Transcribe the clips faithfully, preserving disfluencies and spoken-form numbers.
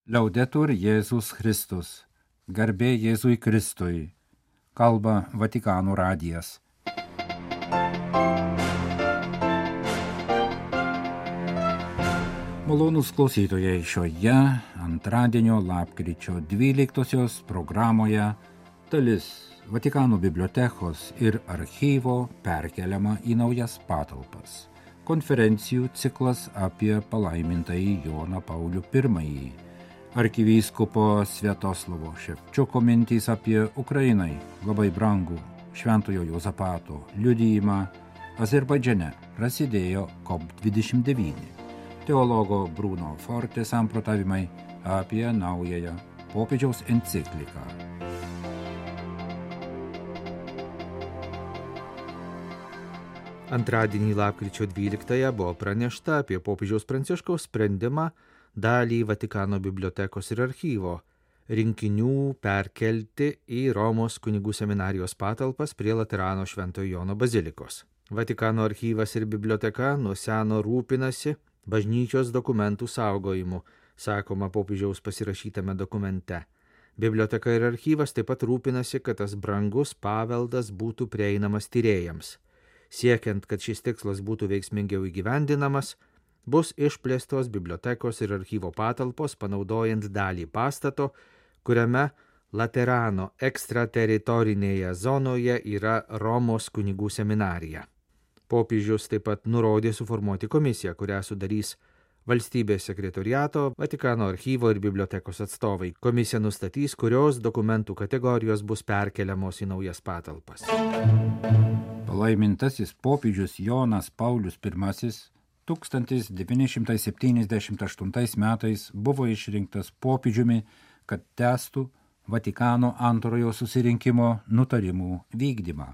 Liaudetur Jėzus Kristus. Garbė Jėzui Kristui. Kalba Vatikano radijas. Malonūs klausytojai, šioje antradienio lapkričio dvyliktosios programoje dalis Vatikano bibliotekos ir archyvo perkeliama į naujas patalpas. Konferencijų ciklas apie palaimintąjį Joną Paulių pirmąjį. Arkivyskupo Sviatoslavo Ševčiuko mintys apie Ukrainai labai brangų Šventojo Juozapato liudijimą Azerbaidžiane prasidėjo COP dvidešimt devyni. Teologo Bruno Forte samprotavimai apie naująją popiežiaus encikliką. Antradienį lapkričio dvyliktąją buvo pranešta apie popiežiaus Pranciškaus sprendimą dalį Vatikano bibliotekos ir archyvo rinkinių perkelti į Romos kunigų seminarijos patalpas prie Laterano Šventojo Jono bazilikos. Vatikano archyvas ir biblioteka nuo seno rūpinasi bažnyčios dokumentų saugojimu, sakoma popiežiaus pasirašytame dokumente. Biblioteka ir archyvas taip pat rūpinasi, kad tas brangus paveldas būtų prieinamas tyrėjams. Siekiant, kad šis tikslas būtų veiksmingiau įgyvendinamas, bus išplėstos bibliotekos ir archyvo patalpos, panaudojant dalį pastato, kuriame Laterano ekstrateritorinėje zonoje yra Romos kunigų seminarija. Popiežius taip pat nurodė suformuoti komisiją, kurią sudarys valstybės sekretoriato, Vatikano archyvo ir bibliotekos atstovai. Komisija nustatys, kurios dokumentų kategorijos bus perkeliamos į naujas patalpas. Palaimintasis popiežius Jonas Paulius pirmasis tūkstantis devyni šimtai septyniasdešimt aštuntais metais buvo išrinktas popiežiumi, kad tęstų Vatikano antrojo susirinkimo nutarimų vykdymą.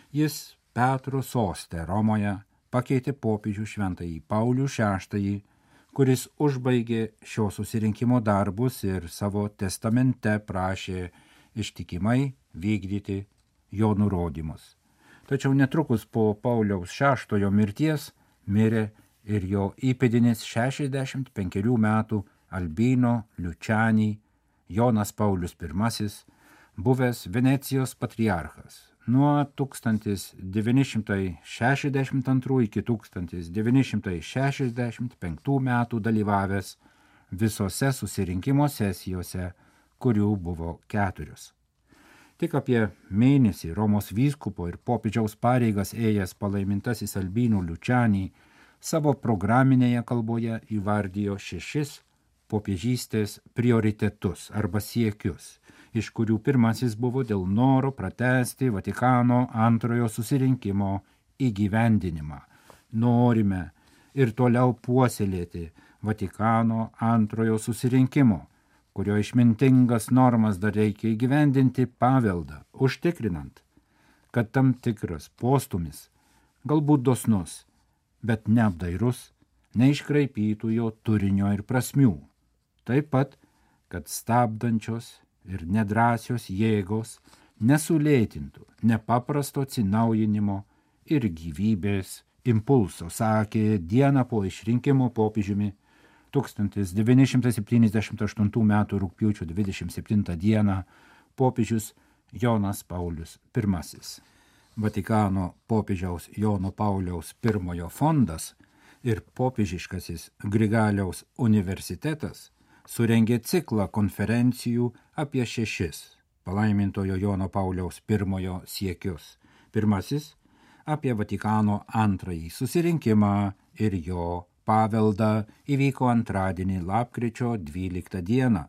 Jis Petro soste Romoje pakeitė popiežių šventąjį Paulių šeštąjį, kuris užbaigė šio susirinkimo darbus ir savo testamente prašė ištikimai vykdyti jo nurodymus. Tačiau netrukus po Pauliaus šeštojo mirties mirė ir jo įpėdinis šešiasdešimt penkerių metų Albino Luciani Jonas Paulius pirmasis, buvęs Venecijos patriarchas. Nuo tūkstantis devyni šimtai šešiasdešimt antrų iki tūkstantis devyni šimtai šešiasdešimt penktų metų dalyvavęs visose susirinkimo sesijose, kurių buvo keturios. Tik apie mėnesį Romos vyskupo ir popiežiaus pareigas ėjęs palaimintasis Albino Luciani savo programinėje kalboje įvardijo šešis popiežystės prioritetus arba siekius, iš kurių pirmasis buvo dėl noro pratęsti Vatikano antrojo susirinkimo įgyvendinimą. Norime ir toliau puoselėti Vatikano antrojo susirinkimo, kurio išmintingas normas dar reikia įgyvendinti paveldą, užtikrinant, kad tam tikras postumis, galbūt dosnus, bet neapdairus, neiškraipytų jo turinio ir prasmių. Taip pat, kad stabdančios ir nedrąsios jėgos nesulėtintų nepaprasto atsinaujinimo ir gyvybės impulso, sakė dieną po išrinkimo popiežiumi tūkstantis devyni šimtai septyniasdešimt aštuntų metų rugpjūčio dvidešimt septintą dieną popiežius Jonas Paulius pirmasis. Vatikano popiežiaus Jono Pauliaus pirmojo fondas ir popiežiškasis Grigaliaus universitetas surengė ciklą konferencijų apie šešis palaimintojo Jono Pauliaus pirmojo siekius. Pirmasis apie Vatikano antrąjį susirinkimą ir jo paveldą įvyko antradienį lapkričio dvyliktą dieną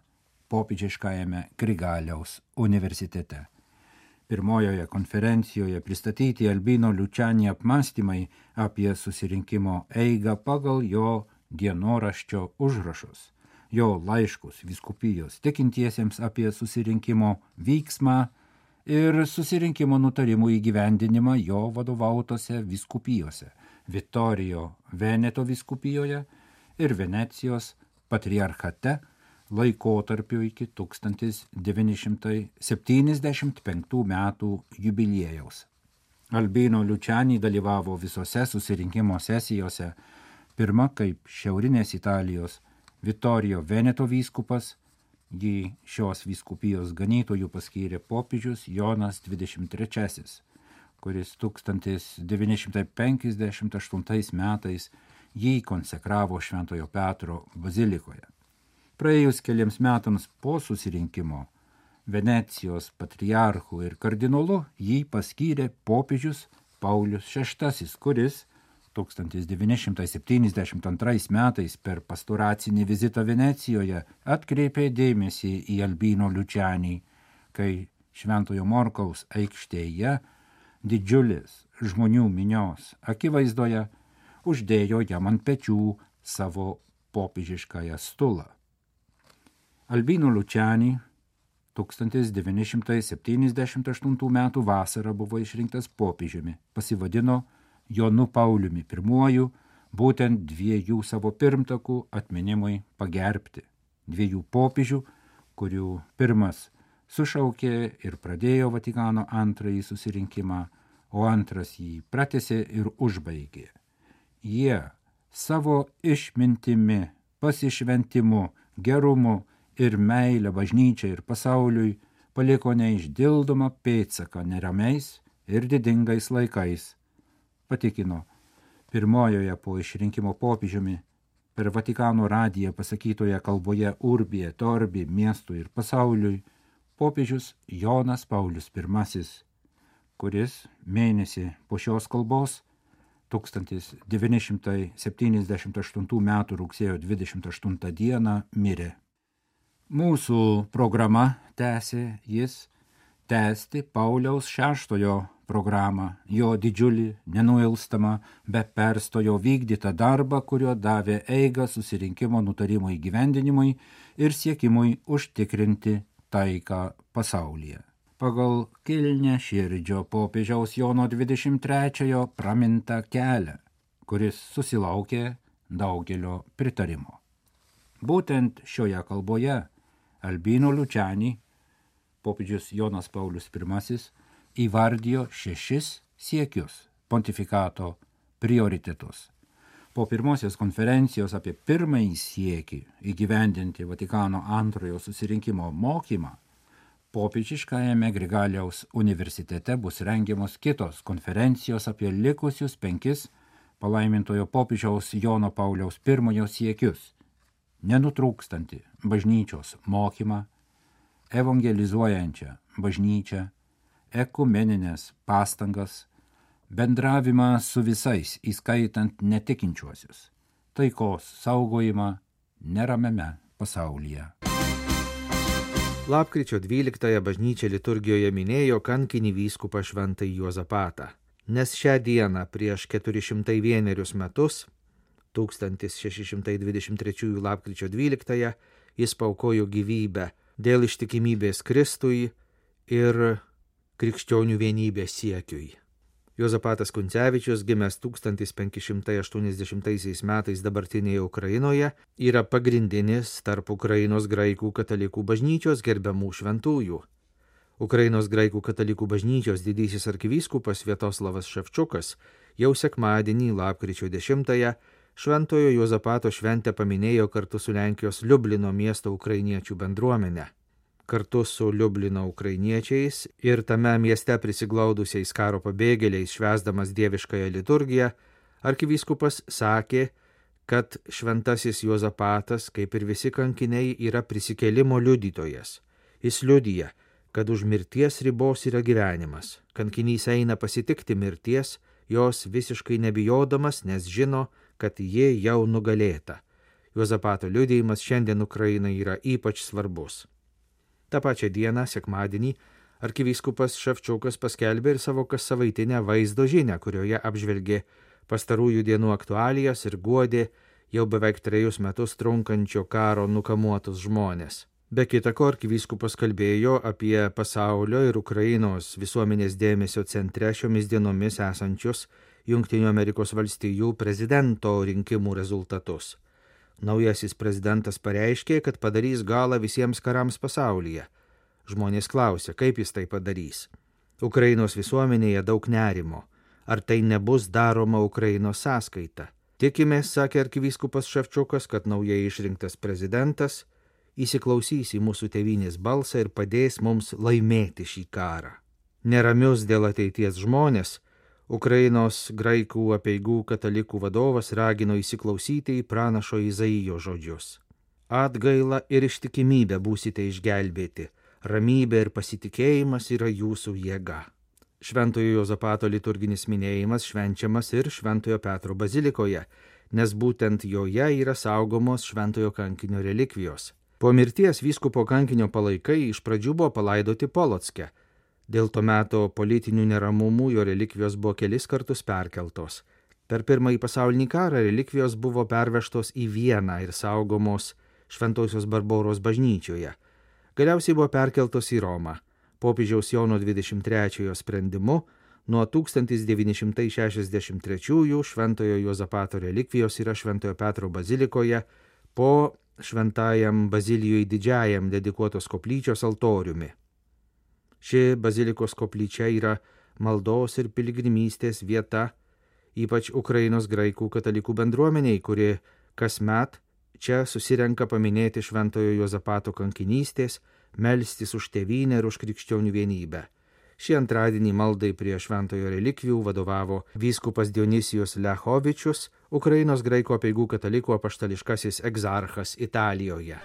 popiežiškajame Grigaliaus universitete. Pirmojoje konferencijoje pristatyti Albino Luciani apmąstymai apie susirinkimo eigą pagal jo dienoraščio užrašus, jo laiškus vyskupijos tikintiesiems apie susirinkimo vyksmą ir susirinkimo nutarimų įgyvendinimą jo vadovautose vyskupijose – Vittorio Veneto vyskupijoje ir Venecijos patriarchate laikotarpiu iki tūkstantis devyni šimtai septyniasdešimt penktų metų jubiliejaus. Albino Luciani dalyvavo visose susirinkimo sesijose, pirma kaip šiaurinės Italijos Vittorio Veneto vyskupas, Jį šios vyskupijos ganytojų paskyrė popiežius Jonas dvidešimt trečiasis, kuris tūkstantis devyni šimtai penkiasdešimt aštuntais metais jį konsekravo Šventojo Petro bazilikoje. Praėjus keliams metams po susirinkimo Venecijos patriarchu ir kardinolu jį paskyrė popiežius Paulius šeštasis, kuris tūkstantis devyni šimtai septyniasdešimt antrais metais per pastoracinį vizitą Venecijoje atkreipė dėmesį į Albino Lučianį, kai Šventojo Morkaus aikštėje didžiulis žmonių minios akivaizdoje uždėjo jam ant pečių savo popiežiškąją stulą. Albino Lučianį tūkstantis devyni šimtai septyniasdešimt aštuntų metų vasarą buvo išrinktas popiežiumi, pasivadino Jonu Pauliumi pirmuoju, būtent dviejų savo pirmtakų atminimui pagerbti. Dviejų popiežių, kurių pirmas sušaukė ir pradėjo Vatikano antrąjį susirinkimą, o antras jį pratęsė ir užbaigė. Jie savo išmintimi, pasišventimu, gerumu ir meilę bažnyčiai ir pasauliui paliko neišdildomą pėdsaką neramiais ir didingais laikais. Patikino pirmojoje po išrinkimo popiežiumi per Vatikano radiją pasakytoje kalboje Urbi et Orbi miestui ir pasauliui popiežius Jonas Paulius pirmasis, kuris mėnesį po šios kalbos tūkstantis devyni šimtai septyniasdešimt aštuntų metų rugsėjo dvidešimt aštuntą dieną mirė. Mūsų programa tęsė jis tęsti Pauliaus šeštojo programą, jo didžiulį, nenuilstamą, be perstojo vykdytą darbą, kurio davė eigą susirinkimo nutarimo įgyvendinimui ir siekimui užtikrinti taiką pasaulyje. Pagal kilnią širdžio popiežiaus Jono dvidešimt trečiojo pramintą kelią, kuris susilaukė daugelio pritarimo. Būtent šioje kalboje Albino Lučianį popiežius Jonas Paulius pirmasis įvardijo šešis siekius pontifikato prioritetus. Po pirmosios konferencijos apie pirmąjį siekį įgyvendinti Vatikano antrojo susirinkimo mokymą, popiežiškajame Grigaliaus universitete bus rengiamos kitos konferencijos apie likusius penkis palaimintojo popiežiaus Jono Pauliaus pirmojo siekius: nenutrūkstantį bažnyčios mokymą, evangelizuojančią bažnyčią, ekumeninės pastangas, bendravimą su visais, įskaitant netikinčiuosius, taikos saugojimą neramiame pasaulyje. Lapkričio dvyliktąją bažnyčia liturgijoje minėjo kankinį vyskupą Šventąjį Juozapatą, nes šią dieną prieš keturi šimtai vienerius metus, tūkstantis šeši šimtai dvidešimt trečiųjų lapkričio dvyliktąją, jis paaukojo gyvybę dėl ištikimybės Kristui ir krikščionių vienybės siekiui. Juozapatas Kuncevičius, gimęs tūkstantis penki šimtai aštuoniasdešimtaisiais metais dabartinėje Ukrainoje, yra pagrindinis tarp Ukrainos graikų katalikų bažnyčios gerbiamų šventųjų. Ukrainos graikų katalikų bažnyčios didysis arkivyskupas Sviatoslavas Ševčukas jau sekmadienį lapkričio dešimtąją Šventojo Juozapato šventę paminėjo kartu su Lenkijos Liublino miesto ukrainiečių bendruomenė. Kartu su Liublino ukrainiečiais ir tame mieste prisiglaudusiais karo pabėgėliais švęsdamas dieviškąją liturgiją, arkivyskupas sakė, kad šventasis Juozapatas, kaip ir visi kankiniai, yra prisikėlimo liudytojas. Jis liudija, kad už mirties ribos yra gyvenimas. Kankinys eina pasitikti mirties, jos visiškai nebijodamas, nes žino, kad ji jau nugalėta. Juozapato liudijimas šiandien Ukrainai yra ypač svarbus. Ta pačia dieną, sekmadienį, arkivyskupas Ševčukas paskelbė ir savo kassavaitinę vaizdo žinią, kurioje apžvelgė pastarųjų dienų aktualijas ir guodė jau beveik trejus metus trunkančio karo nukamuotus žmonės. Be kita ko, arkivyskupas kalbėjo apie pasaulio ir Ukrainos visuomenės dėmesio centre šiomis dienomis esančius Jungtinių Amerikos valstijų prezidento rinkimų rezultatus. Naujasis prezidentas pareiškė, kad padarys galą visiems karams pasaulyje. Žmonės klausė, kaip jis tai padarys. Ukrainos visuomenėje daug nerimo. Ar tai nebus daroma Ukrainos sąskaita? Tikimės, sakė arkivyskupas Ševčukas, kad naujai išrinktas prezidentas įsiklausys į mūsų tėvynės balsą ir padės mums laimėti šį karą. Neramius dėl ateities žmonės, Ukrainos graikų apeigų katalikų vadovas ragino įsiklausyti į pranašo Izaijo žodžius. Atgaila ir ištikimybė būsite išgelbėti, ramybė ir pasitikėjimas yra jūsų jėga. Šventojo Juozapato liturginis minėjimas švenčiamas ir Šventojo Petro bazilikoje, nes būtent joje yra saugomos Šventojo kankinio relikvijos. Po mirties vyskupo kankinio palaikai iš pradžių buvo palaidoti Polocke. Dėl to meto politinių neramumų jo relikvijos buvo kelis kartus perkeltos. Per pirmąjį pasaulinį karą relikvijos buvo pervežtos į Vieną ir saugomos Šventosios Barboros bažnyčioje. Galiausiai buvo perkeltos į Romą. Popiežiaus Jono dvidešimt trečiojo sprendimu nuo tūkstantis devyni šimtai šešiasdešimt trečiųjų Šventojo Juozapato relikvijos yra Šventojo Petro bazilikoje po Šventajam Bazilijui Didžiajam dedikuotos koplyčios altoriumi. Ši bazilikos koplyčia yra maldos ir piligrimystės vieta, ypač Ukrainos graikų katalikų bendruomeniai, kuri kasmet čia susirenka paminėti Šventojo Juozapato kankinystės, melstis už tėvynę ir už krikščionių vienybę. Šį antradienį maldai prie šventojo relikvijų vadovavo vyskupas Dionisijus Lechovičius, Ukrainos graikų apeigų katalikų apaštališkasis egzarchas Italijoje.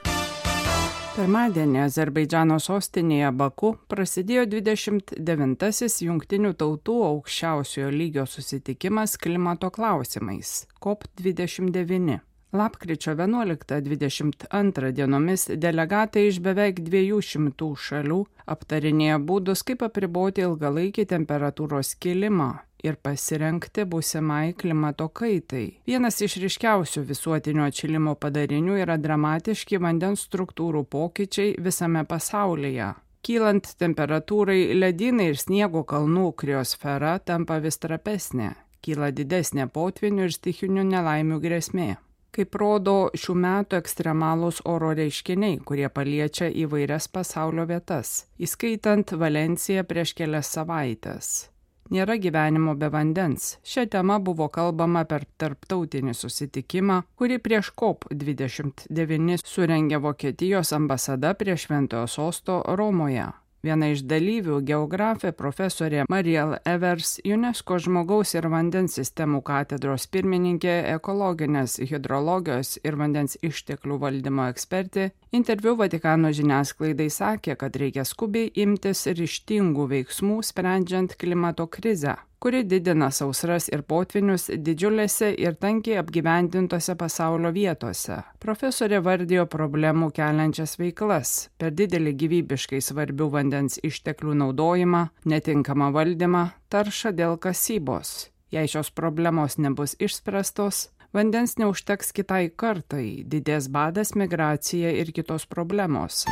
Pirmadienį Azerbaidžano sostinėje Baku prasidėjo dvidešimt devintasis Jungtinių tautų aukščiausiojo lygio susitikimas klimato klausimais COP dvidešimt devyni. Lapkričio vienuoliktą dvidešimt antrą dienomis delegatai iš beveik dviejų šimtų šalių aptarinėjo būdus, kaip apriboti ilgalaikį temperatūros kilimą ir pasirengti būsimai klimato kaitai. Vienas iš ryškiausių visuotinio atšilimo padarinių yra dramatiški vandens struktūrų pokyčiai visame pasaulyje. Kylant temperatūrai, ledynai ir sniego kalnų kriosfera tampa vis trapesnė, kyla didesnė potvynių ir stichinių nelaimių grėsmė. Kaip rodo šių metų ekstremalūs oro reiškiniai, kurie paliečia įvairias pasaulio vietas, įskaitant Valenciją prieš kelias savaitės. Nėra gyvenimo be vandens. Šią temą buvo kalbama per tarptautinį susitikimą, kurį prieš COP dvidešimt devyni surengė Vokietijos ambasada prie Šventojo sosto Romoje. Viena iš dalyvių, geografė profesorė Mariel Evers, UNESCO žmogaus ir vandens sistemų katedros pirmininkė, ekologinės hidrologijos ir vandens išteklių valdymo ekspertė, interviu Vatikano žiniasklaidai sakė, kad reikia skubiai imtis ryžtingų veiksmų sprendžiant klimato krizę, kuri didina sausras ir potvinius didžiulėse ir tankiai apgyvendintose pasaulio vietose. Profesorė vardijo problemų keliančias veiklas, per didelį gyvybiškai svarbių vandens išteklių naudojimą, netinkamą valdymą, taršą dėl kasybos. Jei šios problemos nebus išspręstos, vandens neužteks kitai kartai, didės badas, migracija ir kitos problemos.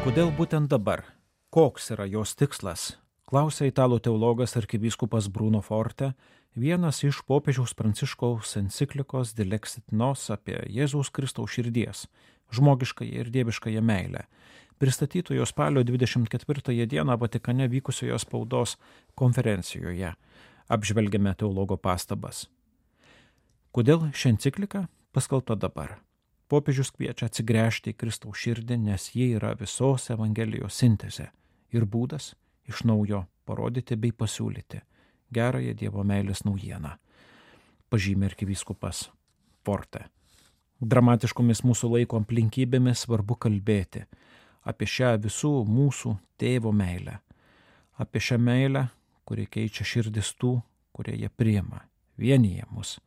Kodėl būtent dabar? Koks yra jos tikslas? Klausia italų teologas arkivyskupas Bruno Forte, vienas iš popiežiaus Pranciškaus enciklikos Dilexit Nos apie Jėzaus Kristaus širdies, žmogiškąją ir dieviškąją meilę, pristatytojo spalio dvidešimt ketvirtąją dieną Vatikane vykusioje spaudos konferencijoje. Apžvelgiame teologo pastabas. Kodėl ši enciklika paskelbta dabar? Popiežius kviečia atsigręžti į Kristaus širdį, nes ji yra visos Evangelijos sintezė ir būdas iš naujo parodyti bei pasiūlyti gerąją Dievo meilės naujieną, pažymė arkivyskupas Forte. Dramatiškomis mūsų laiko aplinkybėmis svarbu kalbėti apie šią visų mūsų tėvo meilę, apie šią meilę, kuri keičia širdis tų, kurie ją priima, vienyje mus,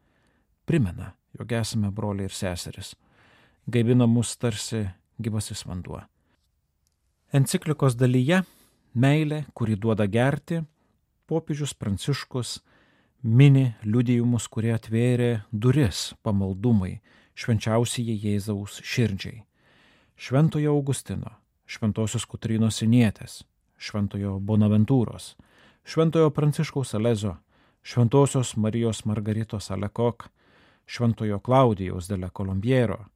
primena, jog esame broliai ir seseris, gaivina mus tarsi gyvasis vanduo. Enciklikos dalyje meilė, kuri duoda gerti, popiežius Pranciškus mini liudijimus, kurie atvėrė duris pamaldumai švenčiausiai Jėzaus širdžiai. Šventojo Augustino, Šventosios Kotrynos Sinietės, Šventojo Bonaventūros, Šventojo Pranciškaus Alezo, Šventosios Marijos Margaritos Alekok, Šventojo Klaudijaus de la Colombiero,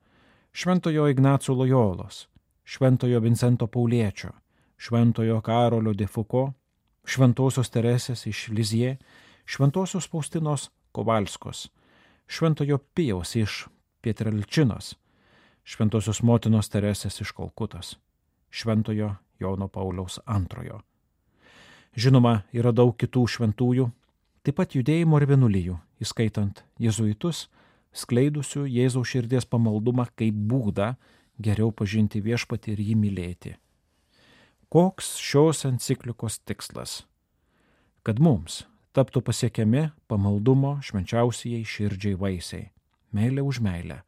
Šventojo Ignaco Lojolos, Šventojo Vincento Pauliečio, Šventojo Karolio de Foucault, Šventosios Teresės iš Lizie, Šventosios Faustinos Kovalskos, Šventojo Pijaus iš Pietrelčinos, Šventosios motinos Teresės iš Kalkutos, Šventojo Jono Pauliaus antrojo. Žinoma, yra daug kitų šventųjų, taip pat judėjimo ir vienuolijų, įskaitant jėzuitus, skleidusių Jėzaus širdies pamaldumą kaip būdą geriau pažinti Viešpatį ir jį mylėti. Koks šios enciklikos tikslas? Kad mums taptų pasiekiami pamaldumo švenčiausiai širdžiai vaisiai, meilė už meilę.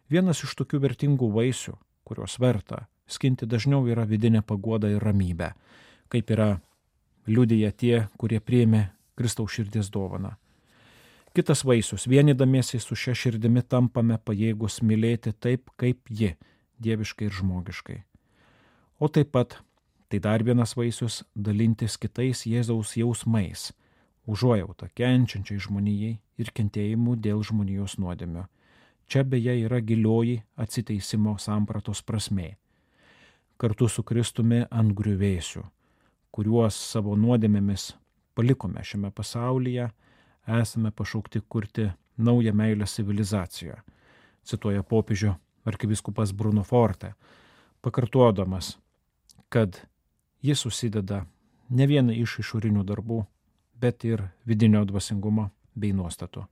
Vienas iš tokių vertingų vaisių, kurios verta skinti dažniau, yra vidinė paguoda ir ramybė, kaip yra liudija tie, kurie priėmė Kristaus širdies dovaną. Kitas vaisius, vienydamiesi su šia širdimi tampame pajėgus mylėti taip, kaip ji, dieviškai ir žmogiškai. O taip pat tai dar vienas vaisius dalintis kitais Jėzaus jausmais, užuojauta kenčiančiai žmonijai ir kentėjimu dėl žmonijos nuodėmio. Čia beje yra gilioji atsiteisimo sampratos prasmė. Kartu su Kristumi ant griuvėsių, kuriuos savo nuodėmėmis palikome šiame pasaulyje, esame pašaukti kurti naują meilės civilizaciją, cituoja popiežių arkivyskupas Bruno Forte, pakartodamas, kad jis susideda ne vieną iš išorinių darbų, bet ir vidinio dvasingumo bei nuostatų,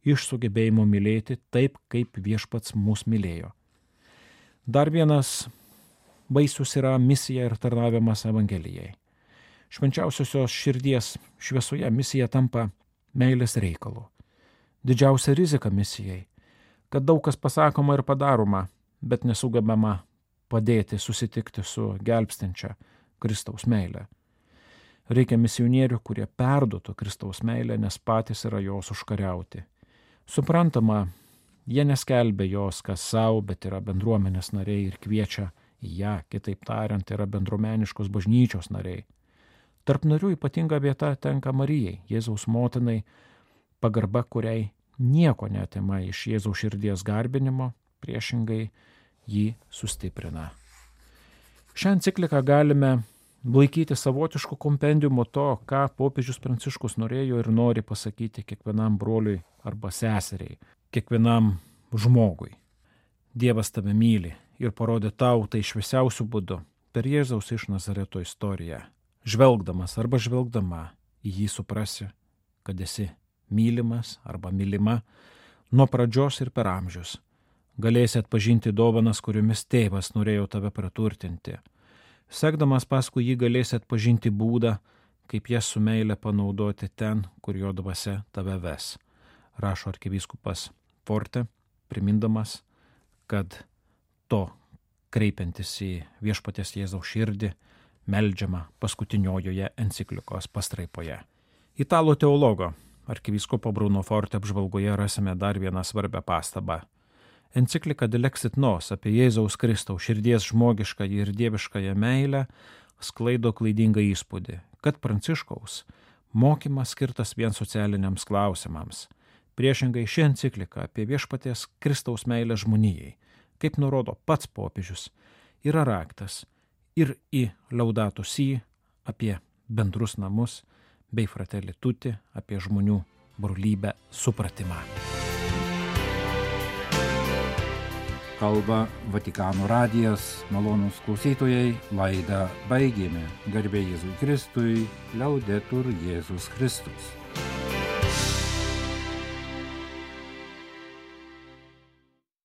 iš sugebėjimo mylėti taip, kaip Viešpats mus mylėjo. Dar vienas vaisius yra misija ir tarnavimas Evangelijai. Švenčiausiosios širdies šviesoje misija tampa meilės reikalu. Didžiausia rizika misijai, kad daug kas pasakoma ir padaroma, bet nesugebama padėti susitikti su gelbstinčia Kristaus meile. Reikia misionierių, kurie perduotų Kristaus meilę, nes patys yra jos užkariauti. Suprantama, jie neskelbia jos kas savo, bet yra bendruomenės nariai ir kviečia į ją, kitaip tariant, yra bendruomeniškos bažnyčios nariai. Tarp narių ypatinga vieta tenka Marijai, Jėzaus motinai, pagarba kuriai nieko neatima iš Jėzaus širdies garbinimo, priešingai jį sustiprina. Šią encikliką galime laikyti savotišku kompendiumu to, ką popiežius Pranciškus norėjo ir nori pasakyti kiekvienam broliui arba seseriai, kiekvienam žmogui. Dievas tave myli ir parodė tau tai šviesiausiu būdu per Jėzaus iš Nazareto istoriją. Žvelgdamas arba žvelgdama į jį suprasi, kad esi mylimas arba mylima nuo pradžios ir per amžius. Galėsi atpažinti dovanas, kuriomis tėvas norėjo tave praturtinti. Sekdamas paskui jį galėsi atpažinti būdą, kaip jas su meile panaudoti ten, kur jo dvasia tave ves, rašo arkivyskupas Forte, primindamas, kad to kreipiantis į Viešpaties Jėzaus širdį meldžiama paskutiniojoje enciklikos pastraipoje. Italų teologo arkivyskupo Bruno Forte apžvalgoje rasime dar vieną svarbią pastabą. Enciklika Dilexit Nos apie Jėzaus Kristaus širdies žmogiškąją ir dieviškąją meilę sklaido klaidingą įspūdį, kad Pranciškaus mokymas skirtas vien socialiniams klausimams. Priešingai ši enciklika apie Viešpaties Kristaus meilę žmonijai, kaip nurodo pats popiežius, yra raktas ir į Laudato Si, apie bendrus namus, bei Fratelli Tutti, apie žmonių brolybę supratimą. Kalba Vatikano radijas, malonūs klausytojai, laidą baigėme. Garbė Jėzui Kristui, Liaudetur Jėzus Kristus.